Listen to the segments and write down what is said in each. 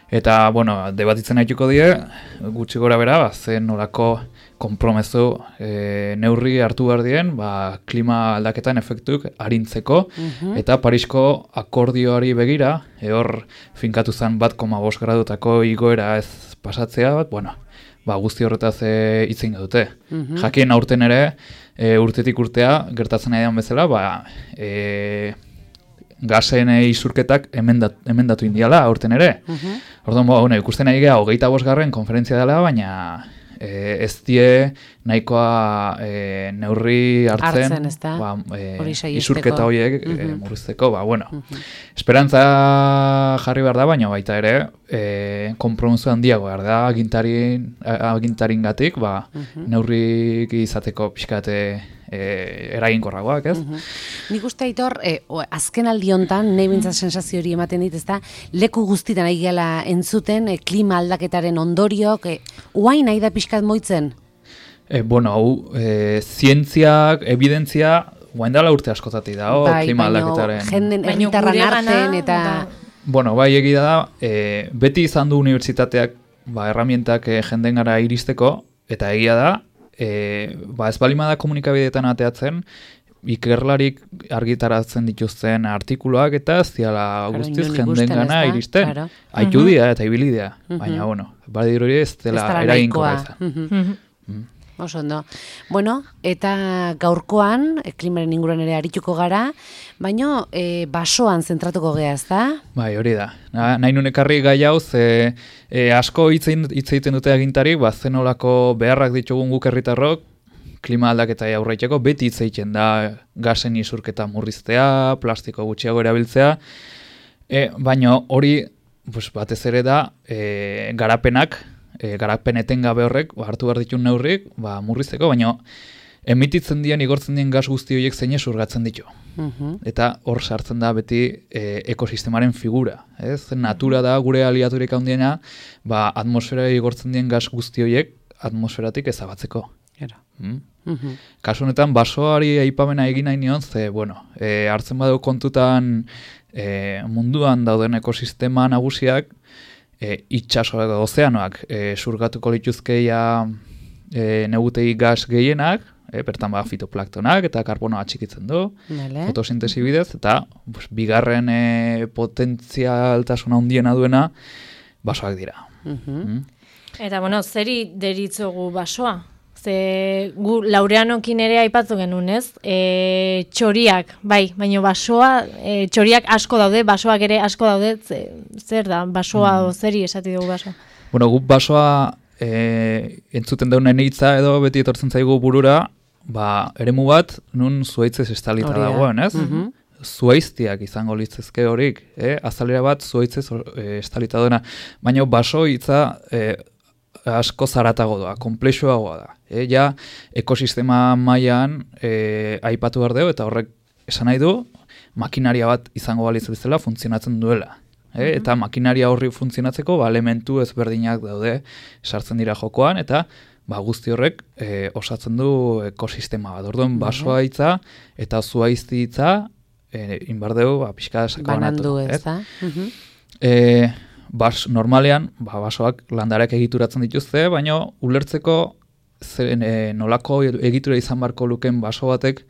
Eta, bueno, debatitzen haituko die, gutxi gora bera, zen nolako konpromezu neurri hartu behar dien, klima aldaketan efektuk arintzeko, eta Parisko akordioari begira, hor finkatu zen 1,5 gradutako igoera ez pasatzea, guzti horretaz hitzein dute. Jakien aurten ere, urtetik urtea, gertatzen nahi bezala, gasen isurketak emendatu indiala aurten ere. Orduan, ikusten nahi geha 25. konferentzia dela, baina ez die nahikoa neurri hartzen isurketa horiek murrizteko. Esperantza jarri behar da, baina baita ere konpromiso handiago behar da agintaringatik neurrik izateko pixkate eraginkorragoak, ez? Nik uste Aitor, azken aldi hontan, nahi bintzat sensazio hori ematen dit, ezta, leku guztitan ari gela entzuten, klima aldaketaren ondoriok, uain nahi da pixkat moitzen? Zientziak, evidentzia, guain dela urte askotati da, klima aldaketaren. Jenden erritarran arten eta... Bai, egia da, beti izan du unibertsitateak herramientak jenden gara iristeko, eta egia da, ez balimada komunikabideetan ateatzen, ikerlarik argitaratzen dituzten artikuluak eta ez diala guztiz jenden gana iristen. Aiudia eta ibilidea, baina, badiruri ez dela eraginkorra izan. Oso ondo. Eta gaurkoan, klimaren inguruan ere arituko gara, baina basoan zentratuko gea, ez da? Bai, hori da. Nahi nun ekarri gai hau, asko hitz egiten dute agintarik, zenolako beharrak ditugun guk herritarrok, klima aldaketa aurreiteko, beti hitz egiten da gasen isurketa murriztea, plastiko gutxiago erabiltzea, baina hori batez ere da garapen etengabe horrek, hartu behar ditun neurrik, murrizteko, baina emititzen dian, igortzen dien gas guzti horiek zein esurgatzen ditu. Eta hor sartzen da beti ekosistemaren figura. Natura da gure aliaturik handiena, atmosfera igortzen dien gas guzti horiek atmosferatik ezabatzeko. Kasu honetan, basoari aipamena egin nahi nion, hartzen badu kontutan munduan dauden ekosistema nagusiak, itxasoak ozeanoak surgatuko lituzkeia negutegi gas gehienak, bertan fitoplanktonak eta karbonoa txikitzen du, fotosintesi bidez, eta bigarren potentzialtasuna handiena duena basoak dira. Eta, zeri deritzogu basoa? Gu Laureanokin ere aipatu genuen, ez? Txoriak, baina basoa, txoriak asko daude, basoak ere asko daude, zer da, basoa zeri esati dugu basoa? Guk basoa entzuten daunen hitza edo beti etortzen zaigu burura, eremu bat nun zuhaitzez estalita dagoen, ez? Zuhaiztiak izango litzezke horik, azalera bat zuhaitzez estalita duena, baina baso hitza asko zaratago da, komplexuagoa da. Ekosistema mailan aipatu behar dugu, eta horrek esan nahi du, makinaria bat izango balitz bezala funtzionatzen duela. Eta makinaria horri funtzionatzeko elementu ezberdinak daude sartzen dira jokoan, eta guzti horrek osatzen du ekosistema bat. Orduan basoa hitza eta zuhaizti hitza inbardeu pixka sakabanatu. Banandu ez da? Normalean, basoak landarak egituratzen dituzte, baina ulertzeko nolako egitura izan barko luken baso batek,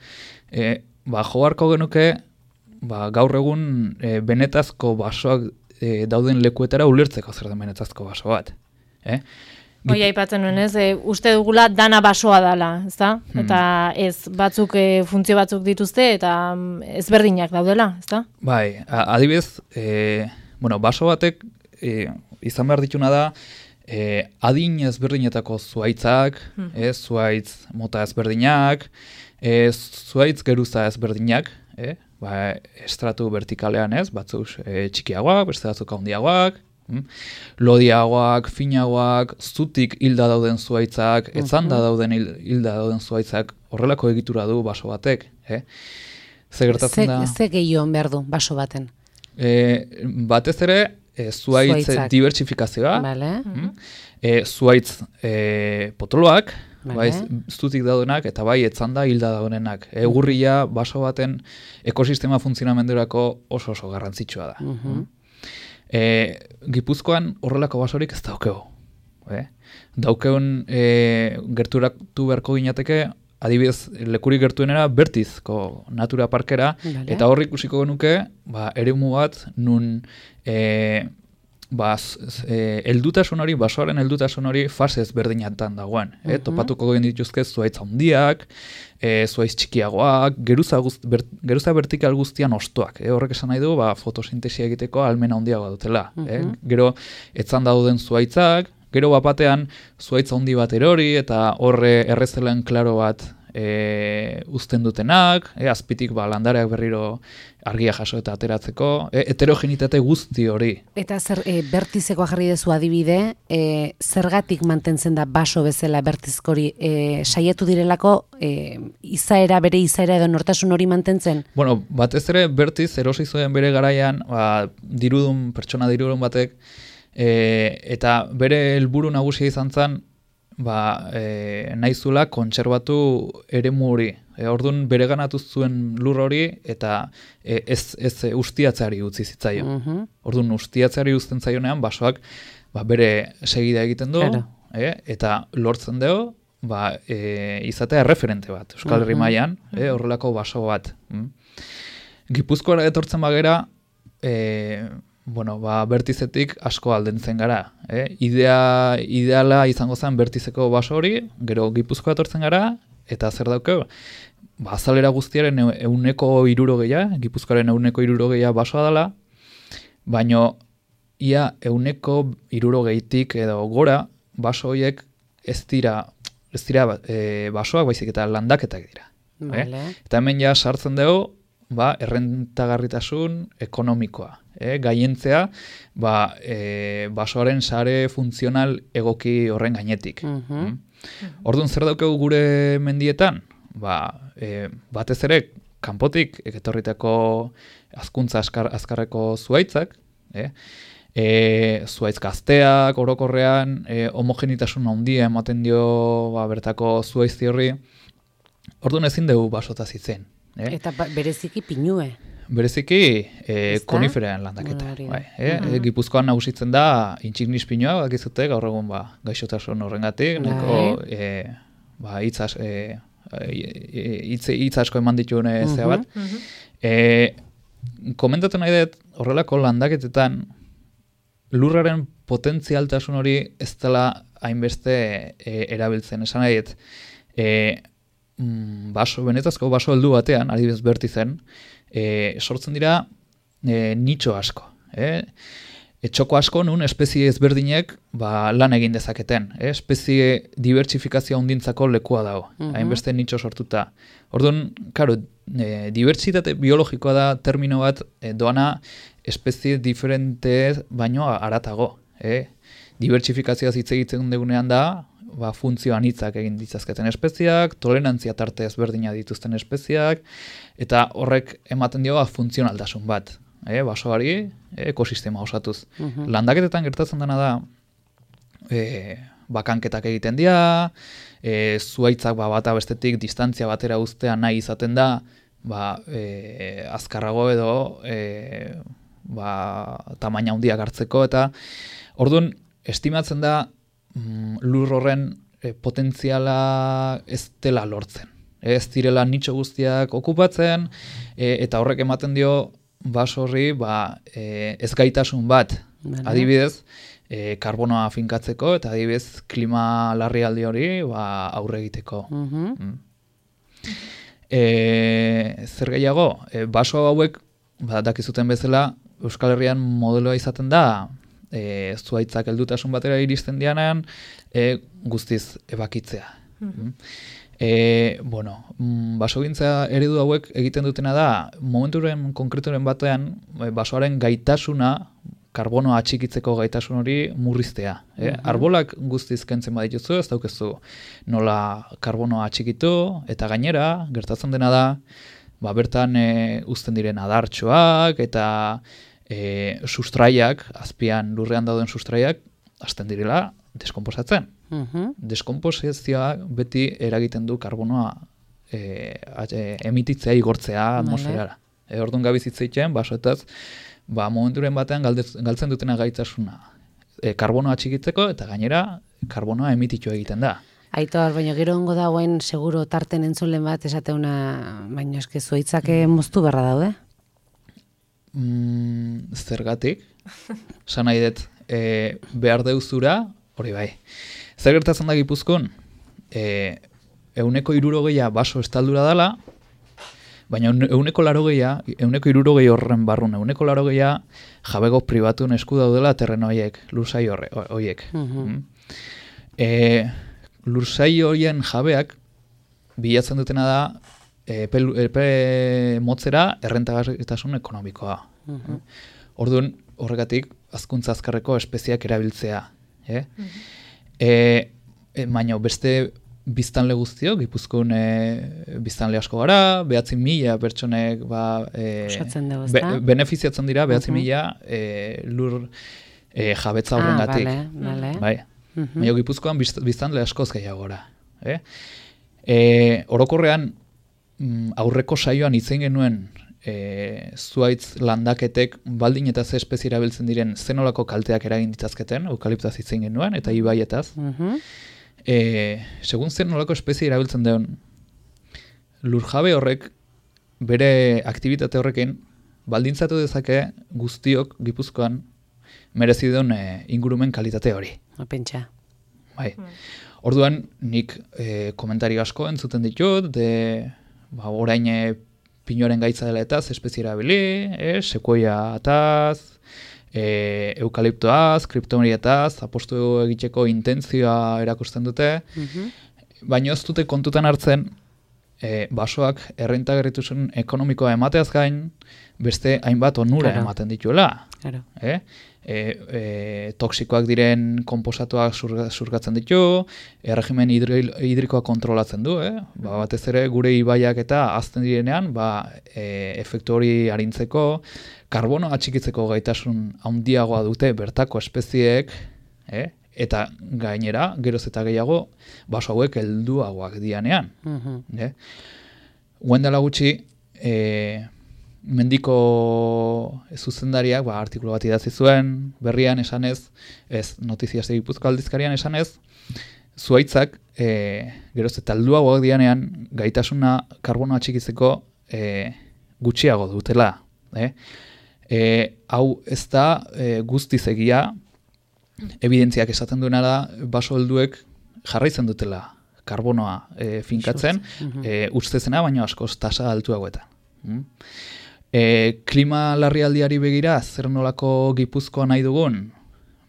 jo barko genuke gaur egun benetazko basoak dauden lekuetara ulertzeko zer den benetazko baso bat. Hoi aipatzen nuen ez, uste dugula dana basoa dela, ezta? Eta ez, batzuk funtzio batzuk dituzte eta ezberdinak daudela, ezta? Bai, adibidez, baso batek izan behar dituna da, adin ezberdinetako zuhaitzak, zuhaitz mota ezberdinak, zuhaitz geruza ezberdinak, estratu vertikalean ez, batzuk txikiagoak, beste batzuk handiagoak, lodiagoak, finagoak, zutik hilda dauden zuhaitzak, etzanda dauden hilda dauden zuhaitzak, horrelako egitura du baso batek. Ze gertatzen da? Ze gehiago behar du baso baten? Batez ere, zuhaitz dibertsifikazioa, zuhaitz potoloak, zutik daudenak, eta etzanda hilda daudenak. Egurria baso baten ekosistema funtzionamendurako oso garrantzitsua da. Gipuzkoan horrelako basorik ez daukeu. Daukeun gerturatu beharko ginateke, adibidez, lekurik gertuenera Bertizko natura parkera, eta hor ikusiko genuke, eremu bat, nun heldutasun hori, basoaren heldutasun hori fase ezberdinatan dagoen. Topatuko gen dituzke zuhaitz handiak, zuhaitz txikiagoak, geruza vertikal guztian ostoak. Horrek esan nahi du, fotosintesia egiteko almena handiagoa dutela. Gero, etzan dauden zuhaitzak, gero batean zuhaitz handi bat erori, eta horre errezelen klaro bat uzten dutenak, azpitik landareak berriro argia jaso eta ateratzeko, heterogenitate guzti hori. Eta Bertizekoa jarri dezu adibide, zergatik mantentzen da baso bezala Bertizkori, saiatu direlako bere izaera edo nortasun hori mantentzen? Bueno, batez ere Bertiz erosi zuen bere garaian, pertsona dirudun batek, eta bere helburu nagusia izan zen, nahizula kontserbatu eremu hori. Orduan bereganatu zuen lur hori eta ez ustiatzeari utzi zitzaion. Orduan ustiatzeari uzten zaionean basoak bere segida egiten du, eta lortzen dugu izatea referente bat, Euskal Herri mailan, horrelako baso bat. Gipuzkoara etortzen bagera, Bertizetik asko aldentzen gara. Ideala izango zen Bertizeko baso hori, gero Gipuzkoa etortzen gara, eta zer daukeu? Azalera guztiaren 160, Gipuzkoaren 160 basoa dela, baino ia 160tik edo gora baso horiek ez dira basoak, baizik eta landaketak dira. Eta hemen ja sartzen dugu, errentagarritasun ekonomikoa. Gaientzea, basoaren sare funtzional egoki horren gainetik. Orduan zer daukegu gure mendietan? Batez ere, kanpotik etorritako hazkuntza azkarreko zuhaitzak, zuhaitz gazteak, orokorrean, homogenitasun handia ematen dio bertako zuhaizti horri, orduan ezin dugu basotaz izen. Eta bereziki pinue. Bereziki koniferean landaketa. Gipuzkoan nagusitzen da intsignis pinua, bakizute gaur egun gaixotasun horrengatik, hitz asko eman dituen zea bat. Komentatu nahi dut, horrelako landaketetan lurraren potentzialtasun hori ez dela hainbeste erabiltzen. Esan nahi dut, benetazko baso heldu batean, adibidez Bertizen, sortzen dira nitxo asko. Txoko asko nun espezie ezberdinek lan egin dezaketen. Espezie dibertsifikazio handintzako lekua dago. Hainbeste nitxo sortuta. Orduan, karo, dibertsitate biologikoa da termino bat doana espezie diferente baino aratago. Dibertsifikazioaz hitz egiten dugunean da, funtzio anitzak egin ditzazketen espeziak, tolerantzia tarte ezberdina dituzten espeziak, eta horrek ematen dio funtzionaltasun bat. Basoari, ekosistema osatuz. Landaketetan gertatzen dena da, bakanketak egiten dira, zuhaitzak bata bestetik distantzia batera uztea nahi izaten da, azkarrago edo tamaina handiak hartzeko, eta orduan estimatzen da lur horren potentziala ez dela lortzen. Ez direla nitxo guztiak okupatzen, eta horrek ematen dio baso horri ez gaitasun bat. Adibidez, karbonoa finkatzeko, eta adibidez klima larrialdi hori aurre egiteko. Zer gehiago, baso hauek, dakizuten bezala, Euskal Herrian modeloa izaten da, zuhaitzak heldutasun batera iristen dianean, guztiz ebakitzea. Basogintza eredu hauek egiten dutena da, momenturen konkreturen batean, basoaren gaitasuna, karbonoa atxikitzeko gaitasun hori murriztea. Arbolak guztiz kentzen badituzu, ez daukezu nola karbonoa atxikitu, eta gainera, gertatzen dena da, bertan uzten diren adartxoak, eta sustraiak, azpian lurrean dauden sustraiak, hasten direla deskomposatzen. Deskomposizioa beti eragiten du karbonoa emititzea igortzea atmosferara. Orduan gabiz hitz egiten, basoetaz, momenturen batean galtzen dutena gaitasuna. Karbonoa txikitzeko eta gainera karbonoa emititu egiten da. Aitor, baina gero ongo dagoen seguro tarten entzulen bat esateuna, baina eske zuaitzak moztu berra daude? Zergatik? Esan nahi dut, behar deuzura, hori bai. Zer gertatzen da Gipuzkoan? 160 baso estaldura dela, baina 160 horren barrun, 180 jabego pribatuen esku daudela terreno horiek, lursai horiek. Lursai horien jabeak bilatzen dutena da epe motzera errentagarritasun ekonomikoa. Orduan, horregatik, hazkuntza azkarreko espeziak erabiltzea. Baina beste biztanle guztiok, Gipuzkoan biztanle asko gara, 9.000 pertsonek benefiziatzen dira, 9.000 lur jabetza horrengatik. Bai. Baina Gipuzkoan biztanle askoz gehiago gara. Orokorrean, aurreko saioan hitzein genuen zuaitz landaketek baldin eta ze espezie erabiltzen diren zenolako kalteak eragin ditzazketen, eukaliptaz hitzein genuen, eta ibaietaz. Segun zenolako espezie erabiltzen duen, lurjabe horrek bere aktibitate horrekin baldintzatu dezake guztiok Gipuzkoan merezi duen ingurumen kalitate hori. Pentsa. Bai. Orduan, nik komentari asko entzuten ditut, orain pinuaren gaitza dela etaz, espezie erabili, sekuoia ataz, eukaliptoaz, kriptomerietaz, apostu egiteko intentzioa erakusten dute, baina ez dute kontutan hartzen, basoak errentagarritasun ekonomikoa emateaz gain, beste hainbat onura ematen dituela. Toksikoak diren konposatuak surgatzen ditu, erregimen hidrikoa kontrolatzen du, batez ere gure ibaiak eta hazten direnean, efektu hori arintzeko, karbono atxikitzeko gaitasun handiagoa dute bertako espezieek, eta gainera, geroz eta gehiago, baso hauek helduagoak dianean. Dela gutxi, mendiko zuzendariak artikulu bat idatzi zuen, berrian esanez, ez Notizias de Gipuzkoa aldizkarian esanez, zuaitzak geroz eta helduagoak dianean gaitasuna karbonoa txikitzeko gutxiago dutela. Hau ez da guztiz egia, evidentziak esaten duena da baso helduek jarraitzen dutela karbonoa finkatzen, ustezena baino askoz tasa altuagoetan. Klima larrialdiari begira, zer nolako Gipuzkoa nahi dugun,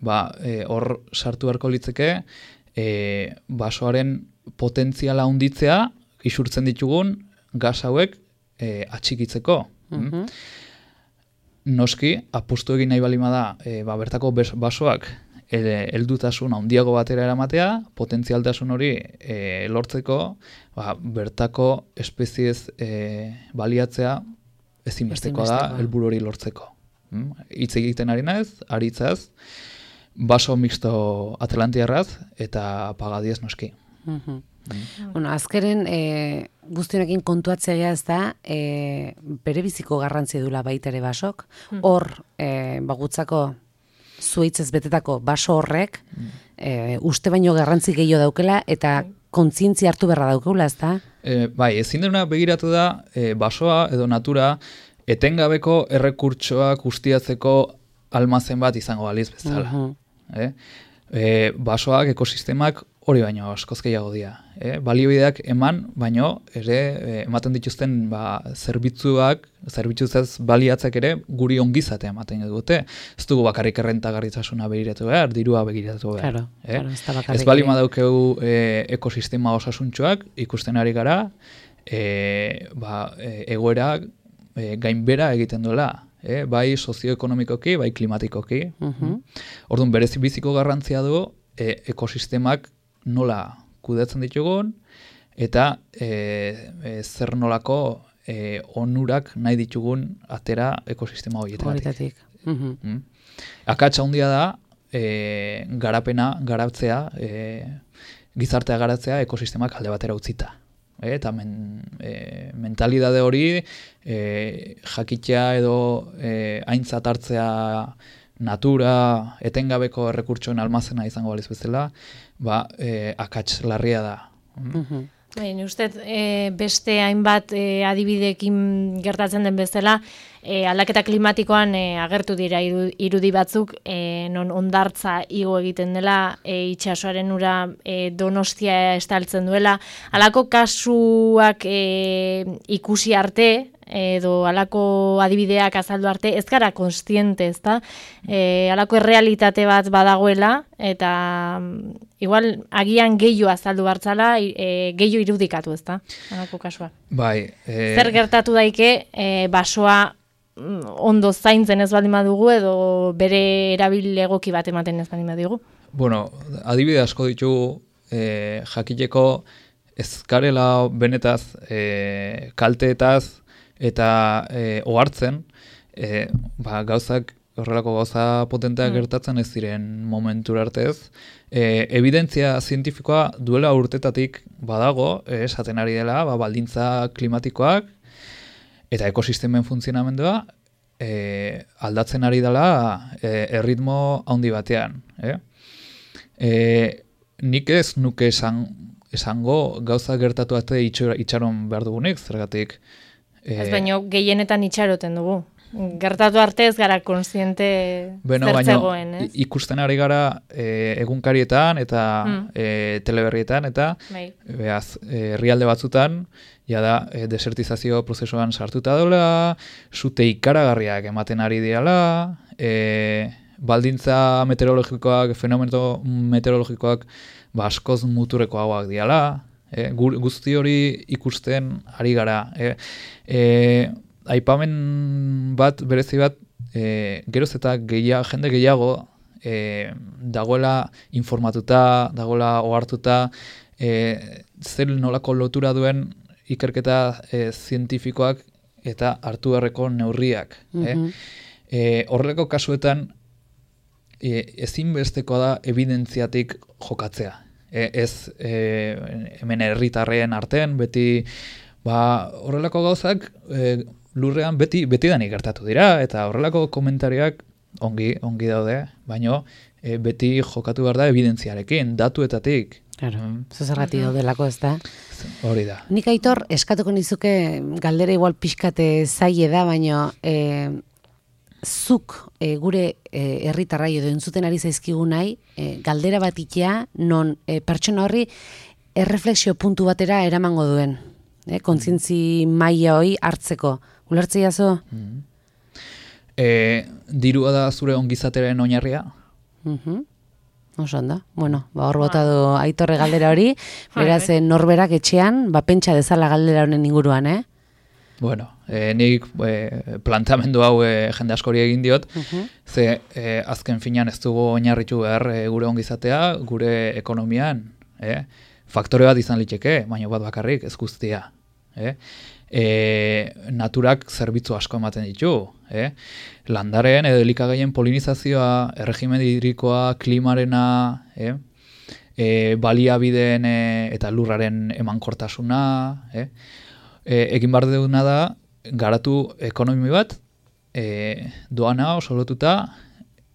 hor sartu beharko litzeke, basoaren potentziala handitzea, isurtzen ditugun gas hauek atxikitzeko. Noski, apustu egin nahi balima da, bertako basoak heldutasun handiago batera eramatea, potentzialtasun hori lortzeko, bertako espeziez baliatzea ezinbestekoa da helburu hori lortzeko. Hitz egiten ari naiz, aritzaz, baso mixto atlantiarraz eta pagadiez noski. Azkeren guztionekin kontuatzea ez da, bere biziko garrantzia dula baita ere basok, hor bagutzako zuaitzez betetako baso horrek, uste baino garrantzi gehiago daukela, eta kontzientzia hartu beharra daukela, ez da? Bai, ezin dena begiratu da, basoa edo natura etengabeko errekurtsoak ustiatzeko almazen bat izango baliz bezala. Basoak, ekosistemak hori baino askoz gehiago dira. Baliobideak eman, baino ere ematen dituzten zerbitzuzaz baliatzak ere guri ongizatea ematen dute. Ez dugu bakarrik errentagarritasuna begiratu behar, dirua begiratu behar. Ez balima daukeu ekosistema osasuntxoak ikusten ari gara, egoerak gainbera egiten duela. Bai sozioekonomikoki, bai klimatikoki. Orduan berezi biziko garrantzia du ekosistemak nola kudeatzen ditugun, eta zer nolako onurak nahi ditugun atera ekosistema horietatik. Akatsa handia da, garatzea, gizartea garatzea ekosistemak alde batera utzita. eta mentalidade hori jakitea edo aintzat hartzea natura, etengabeko errekurtsoen almazena izango baliz bezala, akats larria da. Ni uste beste hainbat adibideekin gertatzen den bezala, aldaketa klimatikoan agertu dira irudi batzuk, non hondartza igo egiten dela, itsasoaren ura Donostia estaltzen duela, halako kasuak ikusi arte, edo halako adibideak azaldu arte, ez gara konstiente, ezta? Halako errealitate bat badagoela, eta igual agian gehiago azaldu bartzala, gehiago irudikatu, ezta? Halako kasua. Bai. Zer gertatu daike, basoa ondo zaintzen ez baldin badugu, edo bere erabil egoki bat ematen ez baldin badugu? Bueno, adibide asko ditugu, jakiteko ez garela benetaz, kalteetaz, eta ohartzen, gauzak, horrelako gauza potenteak gertatzen ez ziren momentura arte ez. Evidentzia zientifikoa duela urtetatik badago, esaten ari dela, baldintza klimatikoak, eta ekosistemen funtzionamendua aldatzen ari dela erritmo handi batean. Nik ez nuke esango gauza gertatu arte itxaron behar dugunik, zergatik. Ez baino gehienetan itxaroten dugu. Gertatu arte ez gara konstiente zertzegoen, ez? Ikusten ari gara egunkarietan eta teleberrietan eta herrialde batzutan jada desertizazio prozesuan sartuta dola, sute ikaragarriak ematen ari diala, baldintza meteorologikoak, fenomeno meteorologikoak askoz muturrekoagoak diala, guzti hori ikusten ari gara. Aipamen bat, berezi bat, geroz eta jende gehiago dagoela informatuta, dagoela ohartuta, zer nolako lotura duen ikerketa zientifikoak eta hartu beharreko neurriak. Horrelako kasuetan ezinbestekoa da evidentziatik jokatzea. Ez hemen herritarren artean, beti horrelako gauzak lurrean beti danik gertatu dira, eta horrelako komentarioak ongi daude, baina beti jokatu behar da evidentziarekin, datuetatik. Claro, zergatik daudelako ez da. Hori da. Nik Aitor, eskatuko nizuke galdera igual pixkate zaie da, baina zuk gure herritarrai edo entzuten ari zaizkigu nahi, galdera bat itea, non pertsona horri erreflexio puntu batera eramango duen. Kontzientzi maila hori hartzeko. Ulertzea zo? Dirua da zure ongizateren oinarria? Oso ondo. Bueno, hor bota du Aitorre galdera hori, beraz norberak etxean, pentsa dezala galdera honen inguruan, Bueno, nik plantamendu hau jende askori egin diot, ze azken finean ez dugu oinarritu behar gure ongizatea, gure ekonomian, faktore bat izan liteke, baina bat bakarrik ez guztia. Naturak zerbitzu asko ematen ditu, landaren edo elikagaien polinizazioa, erregimen hidrikoa, klimarena, baliabideen eta lurraren emankortasuna, egin behar duguna da, garatu ekonomi bat, doana oso lotuta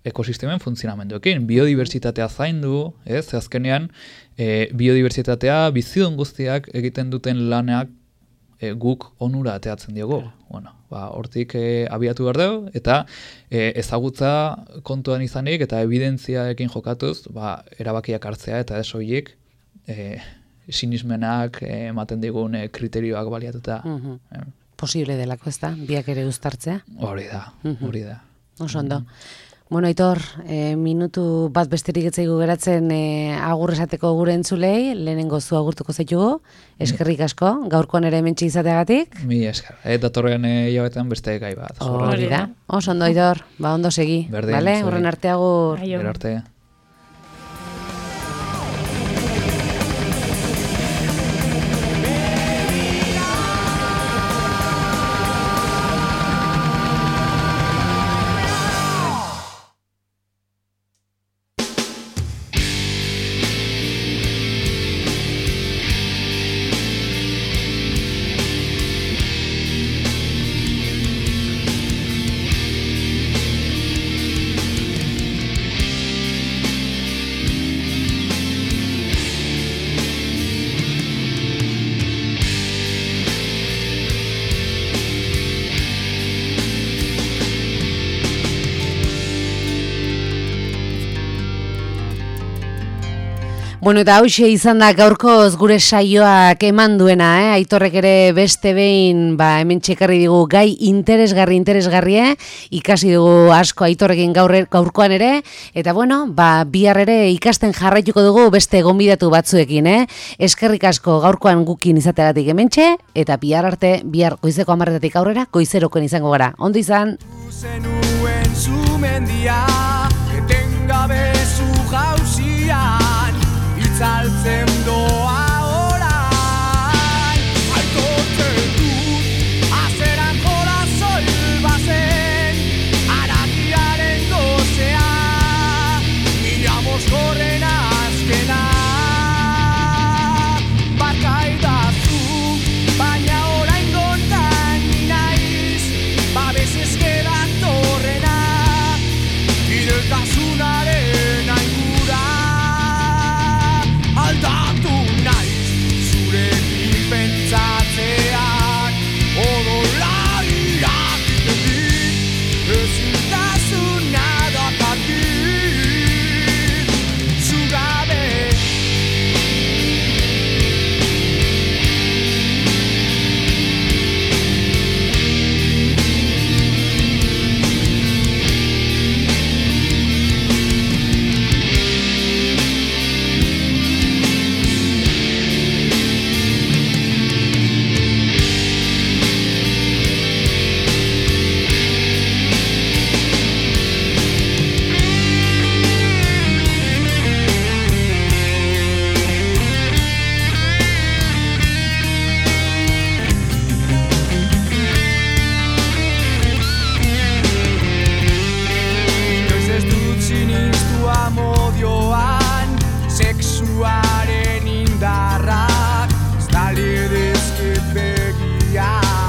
ekosistemen funtzionamenduekin. Biodibertsitatea zaindu, azkenean, biodibertsitatea bizidun guztiak egiten duten lanak guk onura ateatzen diogu. Bueno, hortik abiatu behar dugu, eta ezagutza kontuan izanik eta evidentziaekin jokatuz, erabakiak hartzea eta ez horiek sinismenak ematen digun kriterioak baliatuta. Posible delako ez da, biak ere uztartzea? Hori da. Oso ondo. Bueno, Aitor, minutu bat besterik etzaigu geratzen agur esateko gure entzulei, lehenengo zu agurtuko zaitugu, eskerrik asko, gaurkoan ere hementxe izateagatik. Mi esker, datorren hilabetean beste gai bat. Hori da, oso ondo Aitor, ondo segi, bale? Horren arte agur. Arte. Bueno, eta hauxe izan da gaurkoz gure saioak eman duena, Aitorrek ere beste behin, hemen txekarri digu gai interesgarri, ikasi dugu asko Aitorrekin gaurkoan ere, eta bueno, bihar ere ikasten jarraituko dugu beste gonbidatu batzuekin, Eskerrik asko gaurkoan gukin izateagatik hementxe, eta bihar arte, bihar goizeko 10:00 aurrera, goizerokoen izango gara. Ondo izan! Zenuen zumendia, etengabe zuja